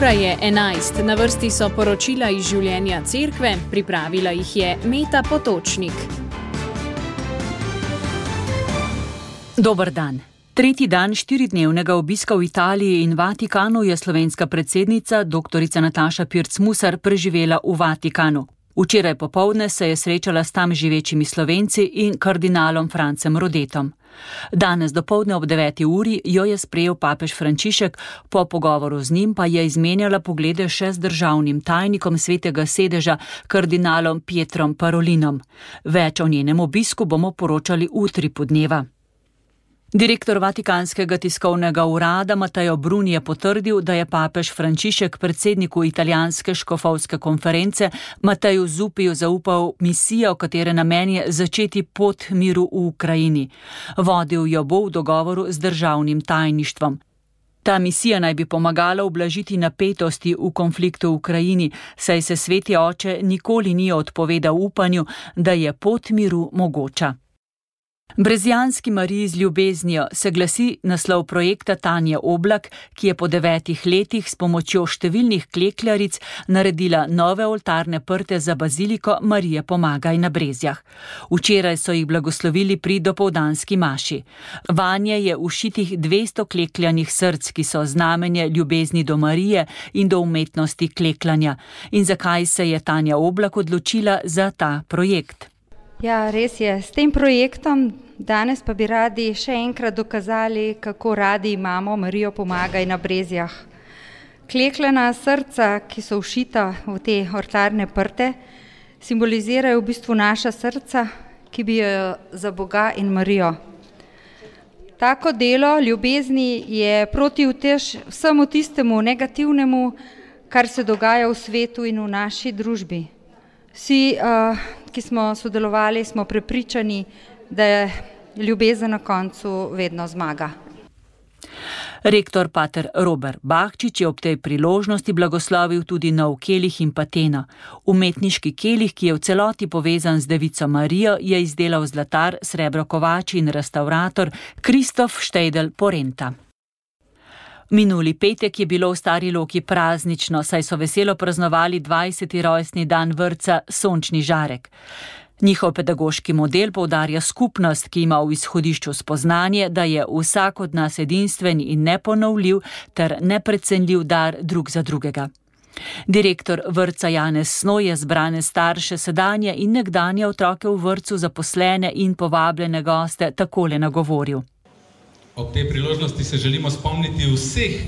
Ura je 11, na vrsti so poročila iz življenja cerkve, pripravila jih je Meta Potočnik. Dober dan. Tretji dan 4-dnevnega obiska v Italiji in Vatikanu je slovenska predsednica dr. Nataša Pirc Musar preživela v Vatikanu. Včeraj popoldne se je srečala s tam živečimi Slovenci in kardinalom Francem Rodetom. Danes dopoldne ob 9. uri jo je sprejel papež Frančišek, po pogovoru z njim pa je izmenjala poglede še z državnim tajnikom Svetega sedeža, kardinalom Pietrom Parolinom. Več o njenem obisku bomo poročali v utripu dneva. Direktor Vatikanskega tiskovnega urada Matteo Bruni je potrdil, da je papež Frančišek predsedniku italijanske škofovske konference Matteju Zuppiju zaupal misijo, katere namen je začeti pot miru v Ukrajini. Vodil jo bo v dogovoru z državnim tajništvom. Ta misija naj bi pomagala ublažiti napetosti v konfliktu v Ukrajini, saj se sveti oče nikoli ni odpovedal upanju, da je pot miru mogoča. Brezjanski Mariji z ljubeznijo se glasi naslov projekta Tanje Oblak, ki je po 9 letih s pomočjo številnih klekljaric naredila nove oltarne prte za baziliko Marije Pomagaj na Brezjah. Včeraj so jih blagoslovili pri dopoldanski maši. Vanje je ušitih 200 klekljanih src, ki so znamenje ljubezni do Marije in do umetnosti klekljanja. In zakaj se je Tanja Oblak odločila za ta projekt? Ja, res je. S tem projektom danes pa bi radi še enkrat dokazali, kako radi imamo Marijo Pomagaj na Brezjah. Klekljana srca, ki so všita v te oltarne prte, simbolizirajo v bistvu naša srca, ki bijejo za Boga in Marijo. Tako delo ljubezni je protiutež vsemu tistemu negativnemu, kar se dogaja v svetu in v naši družbi. Vsi, ki smo sodelovali, smo prepričani, da je ljubezen na koncu vedno zmaga. Rektor pater Robert Bahčič je ob tej priložnosti blagoslovil tudi nov kelih in patena. Umetniški kelih, ki je v celoti povezan z Devico Marijo, je izdelal zlatar, srebrokovač in restavrator Kristof Štejdel Porenta. Minuli petek je bilo v Stari Loki praznično, saj so veselo praznovali 20. rojstni dan vrtca Sončni žarek. Njihov pedagoški model poudarja skupnost, ki ima v izhodišču spoznanje, da je vsak od nas edinstven in neponovljiv ter neprecenljiv dar drug za drugega. Direktor vrtca Janez Snoj je zbrane starše, sedanje in nekdanje otroke v vrtcu, zaposlene in povabljene goste takole nagovoril. Ob tej priložnosti se želimo spomniti vseh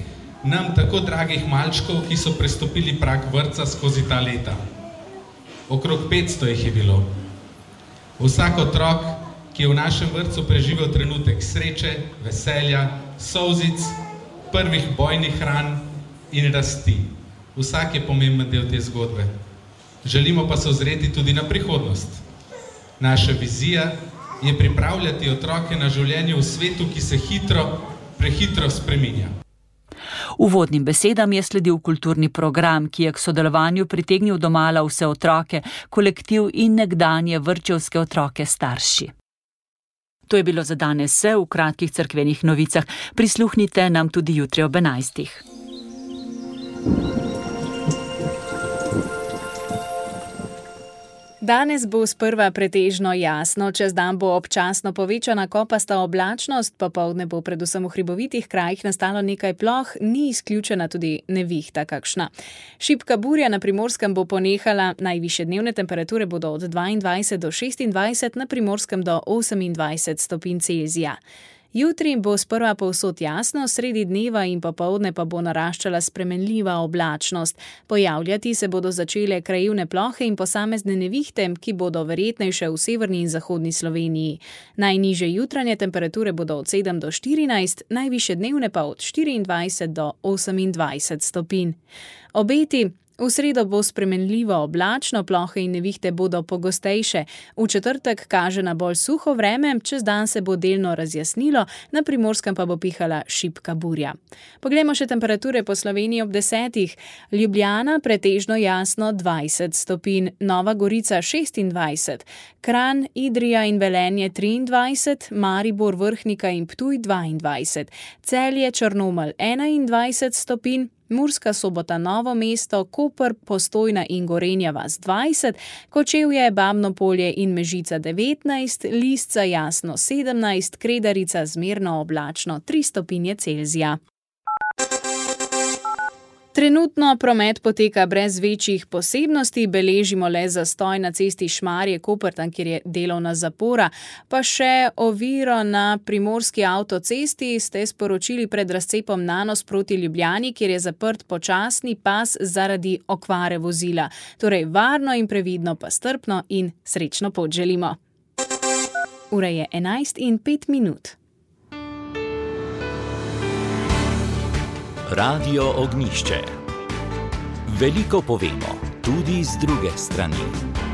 nam tako dragih malčkov, ki so prestopili prag vrtca skozi ta leta. Okrog 500 jih je bilo. Vsak otrok, ki je v našem vrtcu preživel trenutek sreče, veselja, solzic, prvih bojnih ran in rasti. Vsak je pomemben del te zgodbe. Želimo pa se ozreti tudi na prihodnost. Naša vizija je pripravljati otroke na življenje v svetu, ki se prehitro spreminja. Uvodnim besedam je sledil kulturni program, ki je k sodelovanju pritegnil domala vse otroke, kolektiv in nekdanje vrtčevske otroke starši. To je bilo za danes vse v kratkih cerkvenih novicah. Prisluhnite nam tudi jutri ob 11. Danes bo sprva pretežno jasno, čez dan bo občasno povečana kopasta oblačnost, popoldne bo predvsem v hribovitih krajih nastalo nekaj ploh, ni izključena tudi nevihta kakšna. Šibka burja na Primorskem bo ponehala, najvišje dnevne temperature bodo od 22 do 26, na Primorskem do 28 stopinj Celzija. Jutri bo sprva povsod jasno, sredi dneva in popoldne pa bo naraščala spremenljiva oblačnost. Pojavljati se bodo začele krajevne plohe in posamezne nevihte, ki bodo verjetnejše v severni in zahodni Sloveniji. Najnižje jutranje temperature bodo od 7 do 14, najvišje dnevne pa od 24 do 28 stopinj. Obeti. V sredo bo spremenljivo oblačno, plohe in nevihte bodo pogostejše. V četrtek kaže na bolj suho vreme, čez dan se bo delno razjasnilo, na Primorskem pa bo pihala šibka burja. Poglejmo še temperature po Sloveniji ob 10. Ljubljana pretežno jasno 20 stopinj, Nova Gorica 26, Kranj, Idrija in Velenje 23, Maribor, Vrhnika in Ptuj 22, Celje, Črnomelj 21 stopinj, Murska Sobota, Novo mesto, Koper, Postojna in Gorenja vas 20, Kočevje, Babno Polje in Mežica 19, Lisca jasno 17, Kredarica zmerno oblačno 3 stopinje Celzija. Trenutno promet poteka brez večjih posebnosti, beležimo le zastoj na cesti Šmarje-Koper, tam kjer je delovna zapora, pa še oviro na primorski avtocesti ste sporočili pred razcepom Nanos proti Ljubljani, kjer je zaprt počasni pas zaradi okvare vozila. Torej varno in previdno pa strpno in srečno pot želimo. Ura je 11:05. Radio Ognjišče. Veliko povemo, tudi z druge strani.